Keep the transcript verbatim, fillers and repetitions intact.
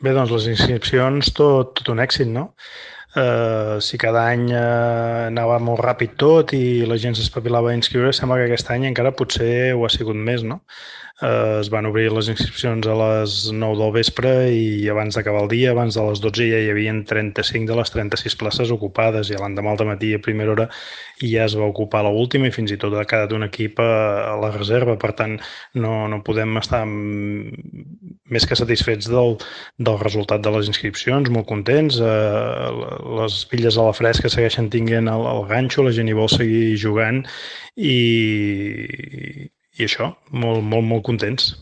Bé, doncs les inscripcions, tot, tot un èxit, no? Eh, si cada any eh, anava molt ràpid tot i la gent s'espavilava a inscriure, sembla que aquest any encara potser ho ha sigut més, no? Eh, es van obrir les inscripcions a les nou del vespre i abans d'acabar el dia, abans de les dotze, ja hi havia trenta-cinc de les trenta-sis places ocupades i l'endemà al matí a primera hora ja es va ocupar l'última i fins i tot ha quedat un equip a, a la reserva. Per tant, no, no podem estar més que satisfets del, del resultat de les inscripcions, molt contents. Eh, les pilles a la fresca segueixen tinguent el, el ganxo, la gent hi vol seguir jugant i, i això, molt, molt, molt contents.